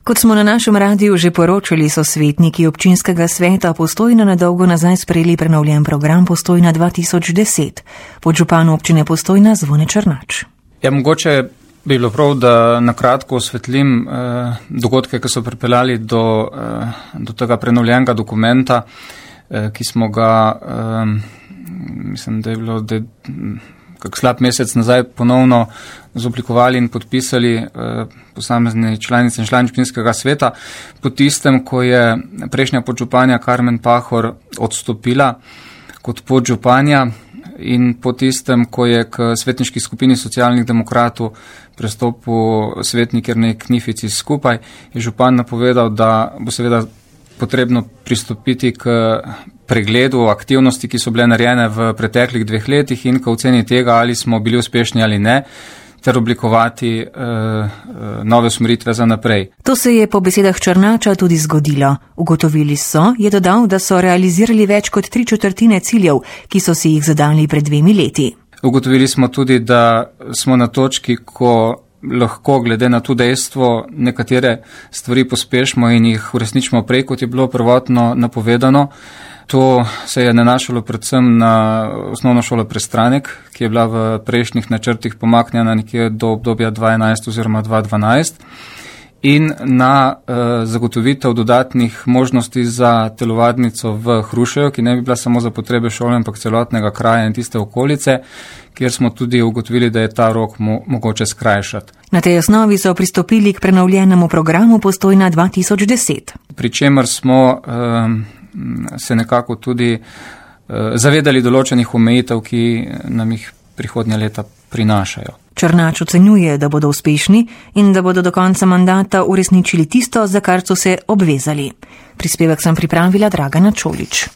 Kot smo na našem radiju že poročali, so svetniki občinskega sveta Postojna na dolgo nazaj sprejeli prenovljen program Postojna 2010. Podžupan občine Postojna Zvone Černač. Ja, mogoče bi bilo prav, da na kratko osvetlim dogodke, ki so pripeljali do tega prenovljenega dokumenta, ki smo ga, mislim, da je bilo kak slab mesec nazaj ponovno zoblikovali in podpisali posamezni članice in člani občinskega sveta, po tistem, ko je prejšnja podžupanja Karmen Pahor odstopila kot podžupanja in po tistem, ko je k svetniški skupini socialnih demokratov prestopil svetnik Jernej Knifici skupaj, je župan napovedal, da bo seveda potrebno pristopiti k pregledu aktivnosti, ki so bile narejene v preteklih 2 letih in k oceni tega, ali smo bili uspešni ali ne, ter oblikovati nove usmeritve za naprej. To se je po besedah Černača tudi zgodilo. Ugotovili so, je dodal, da so realizirali več kot 3/4 ciljev, ki so si jih zadali pred 2 leti. Ugotovili smo tudi, da smo na točki, ko lahko glede na to dejstvo nekatere stvari pospešimo in jih uresničimo prej, kot je bilo prvotno napovedano. To se je nanašalo predvsem na osnovno šolo Prestranek, ki je bila v prejšnjih načrtih pomaknjena nekje do obdobja 2011 oziroma 2012 in na zagotovitev dodatnih možnosti za telovadnico v Hrušeju, ki ne bi bila samo za potrebe šole, ampak celotnega kraja in tiste okolice, kjer smo tudi ugotovili, da je ta rok mogoče skrajšati. Na tej osnovi so pristopili k prenovljenemu programu Postojna 2010. Pri čemer smo se nekako tudi zavedali določenih omejitev, ki nam jih prihodnja leta prinašajo. Černač ocenjuje, da bodo uspešni in da bodo do konca mandata uresničili tisto, za kar so se obvezali. Prispevek sem pripravila Dragana Čolič.